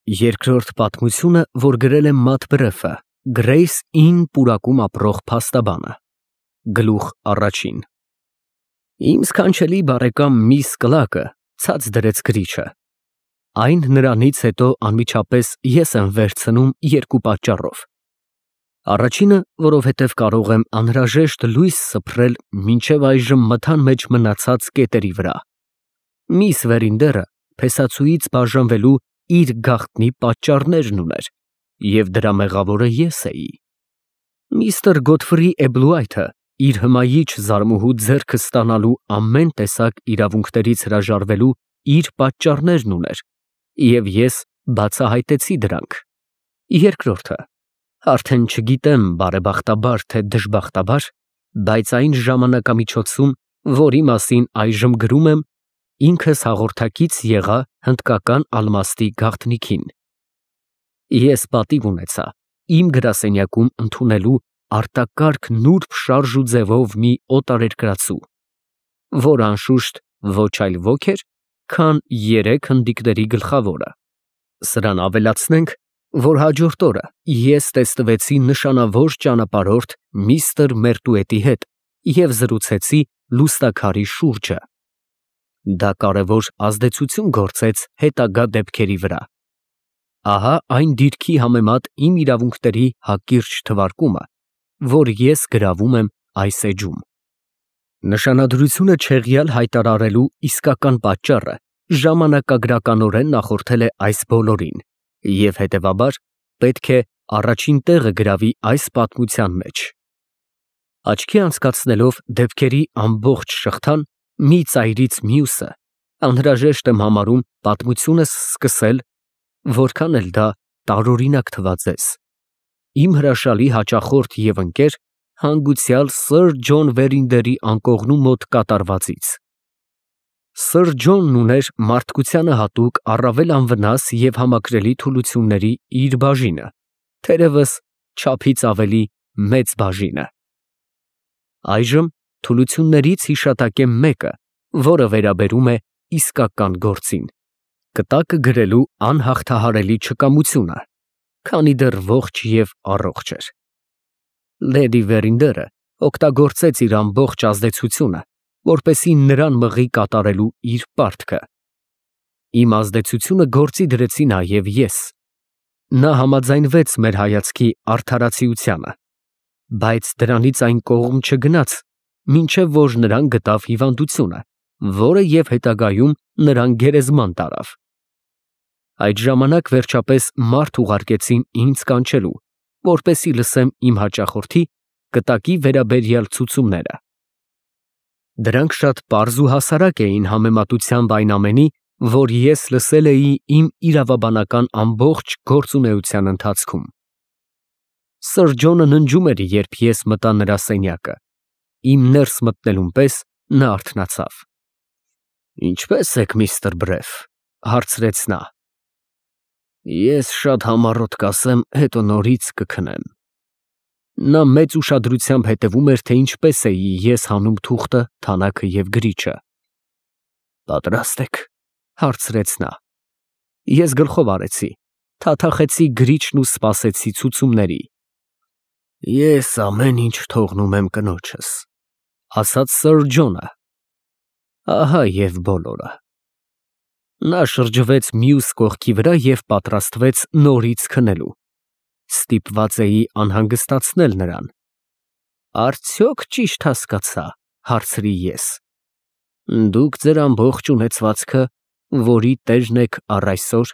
Երկրորդ պատմությունը, որ գրել է Մատ Բրեֆը, Գրեյս Ին պուրակում ապրող փաստաբանը։ Գլուխ առաջին։ Իմ սքանչելի բարեկամ միս Կլակը ցած դրեց գրիչը։ Այն նրանից հետո անմիջապես ես եմ վերցնում երկու պատճառով։ Առաջինը, որովհետև կարող եմ անհրաժեշտ լույս սփռել մինչև այժմ մթան մեջ մնացած կետերի վրա։ Միս Վերինդերը փեսացուից բաժանվելու իր գաղտնի պատճառներն ուներ, և դրա մեղավորը ես էի։ Միստր Գոթֆրի Էբլուայթը իր հմայիչ զարմուհու ձեռքը ստանալու ամեն տեսակ իրավունքներից հրաժարվելու իր պատճառներն ուներ, և ես բացահայտեցի դրանք։ Երկրորդը, արդեն չգիտեմ բարեբախտաբար թե դժբախտաբար, բայց այն ժամանակամիջոցում, որի մասին այժմ գրում եմ, ինքս հաղորդակից եղա հնդկական ալմաստի գաղտնիքին։ Ես պատիվ ունեցա իմ գրասենյակում ընդունելու արտակարգ նուրբ շարժ ու ձևով մի օտարերկրացու, որ անշուշտ ոչ այլ ոք էր, քան երեք հնդիկների գլխավորը։ Սրան ավելացնենք, որ հաջորդ օրը ես տեստվեցի նշանավոր ճանապարհորդ միստր Մերտուետի հետ և զրուցեցի լուսանկարի շուրջը։ Դա կարևոր ազդեցություն գործեց հետագա դեպքերի վրա։ Ահա այն դիրքի համեմատ իմ իրավունքների հակիրճ թվարկումը, որ ես գրավում եմ այս էջում։ Նշանադրությունը չեղյալ հայտարարելու իսկական պատճառը ժամանակագրականորեն նախորդել է այս բոլորին, և հետևաբար պետք է առաջին տեղը գրավի այս պատմության մեջ։ Աչքի անցկացնելով դեպքերի ամբողջ շղթան մի ծայրից մյուսը, անհրաժեշտ եմ համարում պատմությունս սկսել, որքան էլ դա տարօրինակ թվա ձեզ, իմ հրաշալի հաճախորդ և ընկեր, հանգուցյալ սըր Ջոն Վերինդերի անկողնու մոտ կատարվածից։ Սըր Ջոնն ուներ մարդկությանը հատուկ առավել անվնաս և համակրելի թուլությունների իր բաժինը, թերևս չափից ավելի մեծ բաժինը։ Այժմ թուլություններից հիշատակեմ մեկը, որը վերաբերում է իսկական գործին, կտակը գրելու անհաղթահարելի չկամությունը, քանի դեռ ողջ և առողջ էր։ Լեդի Վերինդերը օգտագործեց իր ամբողջ ազդեցությունը, որպեսզի նրան մղի կատարելու իր պարտքը։ Իմ ազդեցությունը գործի դրեցի նաև ես։ Նա համաձայնվեց մեր հայացքի արդարացիությանը, բայց դրանից այն կողմ չգնաց, մինչև որ նրան գտավ հիվանդությունը, որը և հետագայում նրան գերեզման տարավ։ Այդ ժամանակ վերջապես մարդ ուղարկեցին ինձ կանչելու, որպեսզի լսեմ իմ հաճախորդի կտակի վերաբերյալ ցուցումները։ Դրանք շատ պարզ ու հասարակ էին համեմատությամբ այն ամենի, որ ես լսել էի իմ իրավաբանական ամբողջ գործունեության ընթացքում։ Սըր Ջոնը ննջում էր, երբ ես մտա նրա սենյակը։ Իմ ներս մտնելուն պես նա արթնացավ։ «Ինչպե՞ս եք, միստր Բրեֆ», հարցրեց նա։ Ես շատ համառոտ կասեմ, հետո նորից կքնեմ։ Նա մեծ ուշադրությամբ հետևում էր, թե ինչպես էի ես հանում թուղթը, թանաքը և գրիչը։ «Պատրաստ եք», հարցրեց նա։ Ես գլխով արեցի, թաթախեցի գրիչն ու սպասեցի ցուցումների։ «Ես ամեն ինչ թողնում եմ կնոջս», ասաց սըր Ջոնը։ Ահա և բոլորը։ Նա շրջվեց մյուս կողքի վրա և պատրաստվեց նորից քնելու։ Ստիպված էի անհանգստացնել նրան։ «Արդյոք ճիշտ հասկացա», հարցրի ես։ «Դուք ձեր ամբողջ ունեցվածքը, որի տերն եք առ այսօր,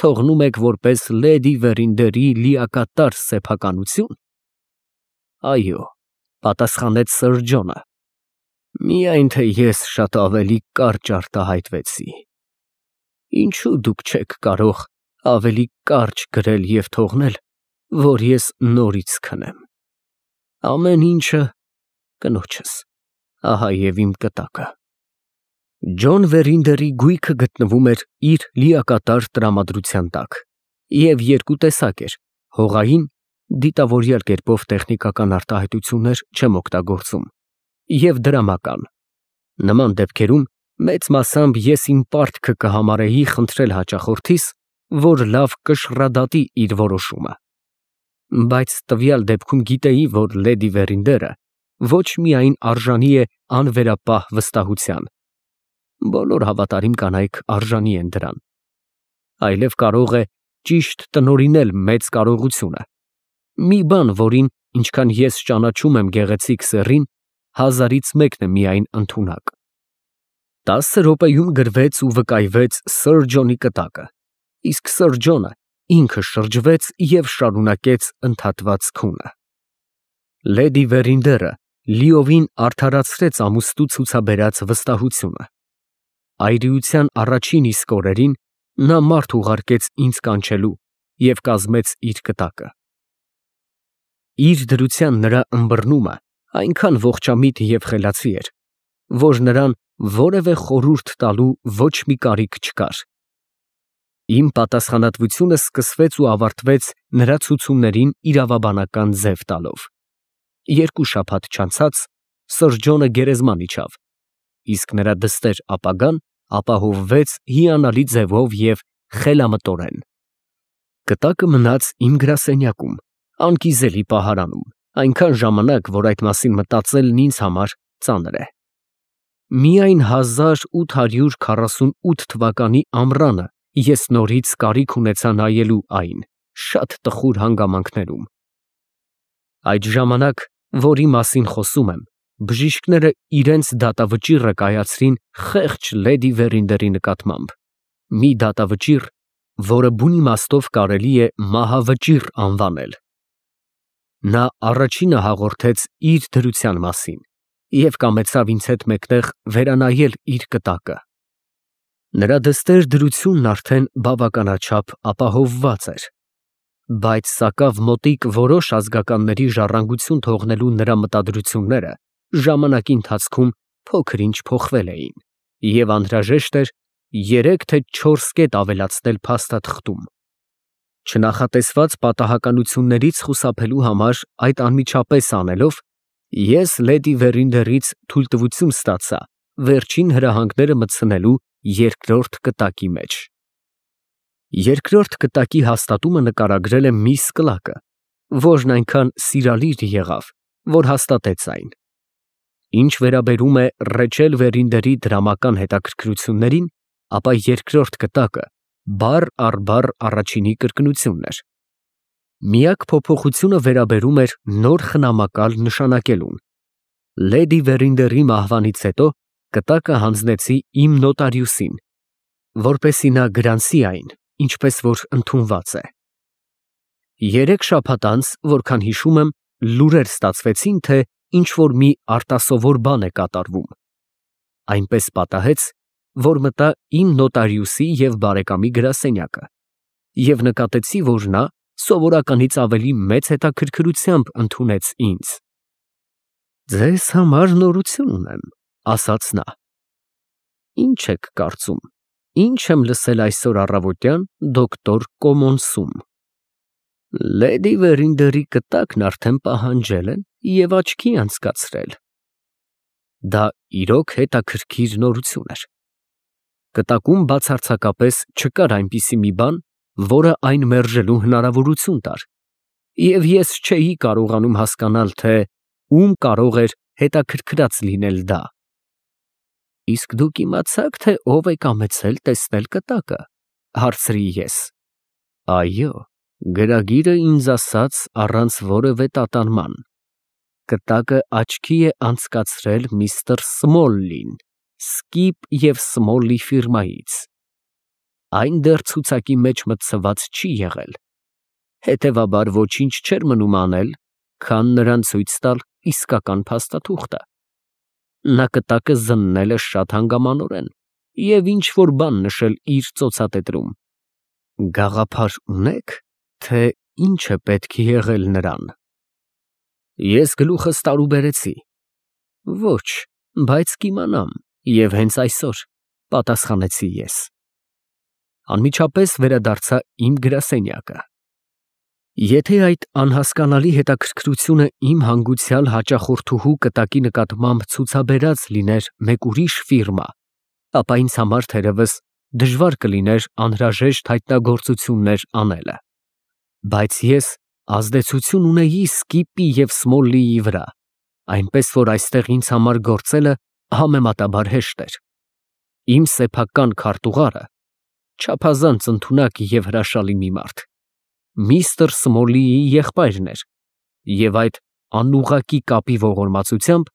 թողնում եք որպես Լեդի Վերինդերի լիակատար սեփականությո՞ւն»։ «Այո», պատասխանեց սըր Ջոնը։ «Միայն թե ես շատ ավելի կարճ արտահայտվեցի։ Ինչո՞ւ դուք չեք կարող ավելի կարճ գրել և թողնել, որ ես նորից քնեմ։ Ամեն ինչը կնոջս, ահա և իմ կտակը»։ Ջոն Վերինդերի գույքը գտնվում էր իր լիակատար տրամադրության տակ, և երկու տեսակ էր՝ հողային (դիտավորյալ կերպով տեխնիկական արտահայտություններ չեմ օգտագործում) և դրամական։ Նման դեպքերում մեծ մասամբ ես իմ պարտքը կհամարեի խնդրել հաճախորդիս, որ լավ կշռադատի իր որոշումը։ Բայց տվյալ դեպքում գիտեի, որ լեդի Վերինդերը ոչ միայն արժանի է անվերապահ վստահության, բոլոր հավատարիմ կանայք արժանի են դրան, այլև կարող է ճիշտ տնօրինել մեծ կարողությունը, մի բան, որին, ինչքան ես ճանաչում եմ գեղեցիկ սեռին, հազարից մեկն է միայն ընդունակ։ 10 րոպեում գրվեց ու վկայվեց Սըր Ջոնի կտակը, իսկ Սըր Ջոնը ինքը շրջվեց և շարունակեց ընդհատված քունը։ Լեդի Վերինդերը լիովին արդարացրեց ամուսնու ցուցաբերած վստահությունը։ Այրիության առաջին իսկ օրերին նա մարդ ուղարկեց ինձ կանչելու և կազմեց իր կտակը։ Իր դրության նրա ըմբռնումը այնքան ողջամիտ և խելացի էր, որ նրան որևէ խորհուրդ տալու ոչ մի կարիք չկար։ Իմ պատասխանատվությունը սկսվեց ու ավարտվեց նրա ցուցումներին իրավաբանական ձև տալով։ 2 շաբաթ չանցած Սըր Ջոնը գերեզման իջավ, իսկ նրա դստեր ապագան ապահովվեց հիանալի ձևով և խելամտորեն։ Կտակը մնաց իմ գրասենյակում, անկիզելի պահարանում, այնքան ժամանակ, որ այդ մասին մտածելն ինձ համար ծանր է։ Միայն 1848 թվականի ամռանը ես նորից կարիք ունեցա նայելու այն շատ տխուր հանգամանքներում։ Այդ ժամանակ, որի մասին խոսում եմ, բժիշկները իրենց դատավճիռը կայացրին խեղճ լեդի Վերինդերի նկատմամբ, մի դատավճիռ, որը բուն իմաստով կարելի է մահավճիռ անվանել։ Նա առաջինը հաղորդեց իր դրության մասին և կամեցավ ինձ հետ մեկտեղ վերանայել իր կտակը։ Նրա դստեր դրությունն արդեն բավականաչափ ապահովված էր, բայց սակավ մոտիկ որոշ ազգականների ժառանգություն թողնելու նրա մտադրությունները ժամանակի ընթացքում փոքր-ինչ փոխվել էին, և անհրաժեշտ էր 3 թե 4 կետ ավելացնել փաստաթղթում։ Չնախատեսված պատահականություններից խուսափելու համար այդ անմիջապես անելով, ես լեդի Վերինդերից թույլտվություն ստացա վերջին հրահանգները մտցնելու երկրորդ կտակի մեջ։ Երկրորդ կտակի հաստատումը նկարագրել է միս Կլակը, որն այնքան սիրալիր եղավ, որ հաստատեց այն։ Ինչ վերաբերում է Ռեչել Վերինդերի դրամական հետաքրքրություններին, ապա երկրորդ կտակը բառ առ բառ առաջինի կրկնությունն էր։ Միակ փոփոխությունը վերաբերում էր նոր խնամակալ նշանակելուն։ Լեդի Վերինդերի մահվանից հետո կտակը հանձնեցի իմ նոտարիուսին, որպեսզի նա գրանցի այն, ինչպես որ ընդունված է։ 3 շաբաթ անց, որքան հիշում եմ, լուրեր ստացվեցին, թե ինչ֊որ մի արտասովոր բան է կատարվում։ Այնպես պատահեց, որ մտա իմ նոտարիուսի և բարեկամի գրասենյակը և նկատեցի, որ նա սովորականից ավելի մեծ հետաքրքրությամբ ընդունեց ինձ։ «Ձեզ համար նորություն ունեմ», ֊ ասաց նա։ «Ինչ եք կարծում, ինչ եմ լսել այսօր առավոտյան դոկտոր Կոմոնսում։ Լեդի Վերինդերի կտակն արդեն պահանջել են և աչքի անցկացրել»։ Դա իրոք հետաքրքիր նորություն էր։ Կտակում բացարձակապես չկար այնպիսի մի բան, որը այն մերժելու հնարավորություն տար, և ես չէի կարողանում հասկանալ, թե ում կարող էր հետաքրքրած լինել դա։ «Իսկ դուք իմացա՞ք, թե ով է կամեցել տեսնել կտակը», ֊ հարցրի ես։ «Այո, գրագիրը ինձ ասաց առանց որևէ տատանման. կտակը աչքի է անցկացրել միստր Սմոլլին, Սկիպ և Սմոլլի ֆիրմայից։ Այն դեռ ցուցակի մեջ մտցված չի եղել, հետևաբար ոչինչ չէր մնում անել, քան նրան ցույց տալ իսկական փաստաթուղթը։ Նա կտակը զննել է շատ հանգամանորեն և ինչ֊որ բան նշել իր ծոցատետրում։ Գաղափար ունե՞ք, թե ինչ է պետք եղել նրան»։ Ես գլուխս տարուբերեցի։ «Ոչ, բայց կիմանամ, և հենց այսօր», ֊ պատասխանեցի ես։ Անմիջապես վերադարձա իմ գրասենյակը։ Եթե այդ անհասկանալի հետաքրքրությունը իմ հանգուցյալ հաճախորդուհու կտակի նկատմամբ ցուցաբերած լիներ մեկ ուրիշ ֆիրմա, ապա ինձ համար թերևս դժվար կլիներ անհրաժեշտ հայտնագործություններ անելը, բայց ես ազդեցություն ունեի Սկիպի և Սմոլլիի վրա, այնպես որ այստեղ ինձ համար գործելը համեմատաբար հեշտ էր։ Իմ սեփական քարտուղարը չափազանց ընդունակ և հրաշալի մի մարդ միստր Սմոլլիի եղբայրն էր, և այդ անուղղակի կապի ողորմածությամբ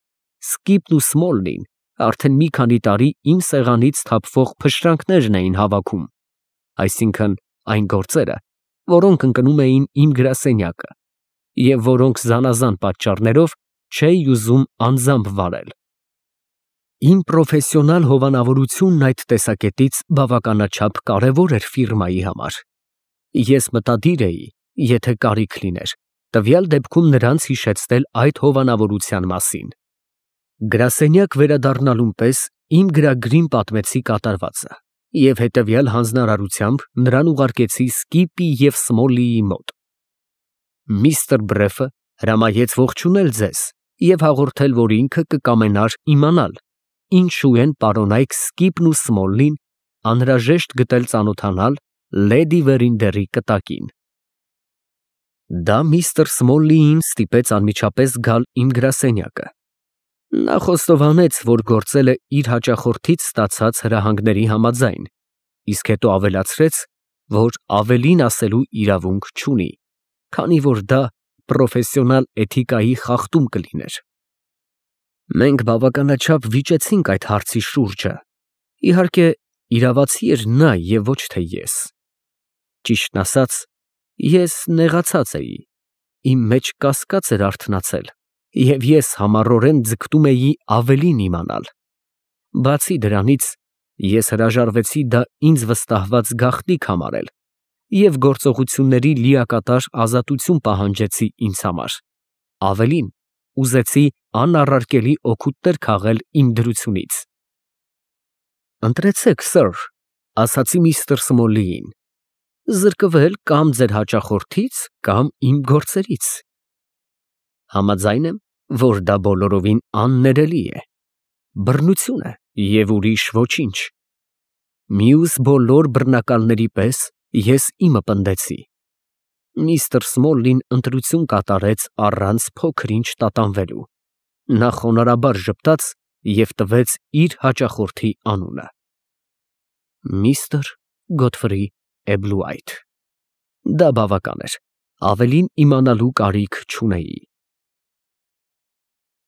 Սկիպն ու Սմոլլին արդեն մի քանի տարի իմ սեղանից թափվող փշրանքներն էին հավաքում, այսինքն այն գործերը, որոնք ընկնում էին իմ գրասենյակը, և որոնք զանազան պատճառներով չէի ուզում անձամբ վարել։ Իմ պրոֆեսիոնալ հովանավորությունն այդ տեսակետից բավականաչափ կարևոր էր ֆիրմայի համար։ Ես մտադիր էի, եթե կարիք լիներ, տվյալ դեպքում նրանց հիշեցնել այդ հովանավորության մասին։ Գրասենյակ վերադառնալուն պես իմ գրագրին պատմեցի կատարվածը և հետևյալ հանձնարարությամբ նրան ուղարկեցի Սկիպի և Սմոլլիի մոտ։ Միստր Բրեֆը հրամայեց ողջունել ձեզ և հաղորդել, որ ինքը կկամենար իմանալ ինչու են պարոնայք Սկիպն ու Սմոլլին անհրաժեշտ գտել ծանոթանալ լեդի Վերինդերի կտակին։ Դա միստր Սմոլլիին ստիպեց անմիջապես գալ իմ գրասենյակը։ Նա խոստովանեց, որ գործել է իր հաճախորդից ստացած հրահանգների համաձայն, իսկ հետո ավելացրեց, որ ավելին ասելու իրավունք չունի, քանի որ դա պրոֆեսիոնալ էթիկայի խախտում կլիներ։ Մենք բավականաչափ վիճեցինք այդ հարցի շուրջը։ Իհարկե, իրավացի էր նա և ոչ թե ես։ Ճիշտն ասած, ես նեղացած էի, իմ մեջ կասկած էր արթնացել, և ես համառորեն ձգտում էի ավելին իմանալ։ Բացի դրանից, ես հրաժարվեցի դա ինձ վստահված գաղտնիք համարել և գործողությունների լիակատար ազատություն պահանջեցի ինձ համար, ավելին, ուզեցի անառարկելի օգուտներ քաղել իմ դրությունից։ «Ընտրեցեք, սըր», ֊ ասացի միստր Սմոլլիին, «զրկվել կամ ձեր հաճախորդից, կամ իմ գործերից»։ Համաձայն եմ, որ դա բոլորովին աններելի է, բռնություն է և ուրիշ ոչինչ։ Մյուս բոլոր բռնակալների պես ես իմը պնդեցի։ Միստր Սմոլլին ընտրություն կատարեց առանց փոքր֊ինչ տատանվելու։ Նա խոնարհաբար ժպտաց և տվեց իր հաճախորդի անունը. Միստր Գոթֆրի Էբլուայթ։ Դա բավական էր, ավելին իմանալու կարիք չունեի։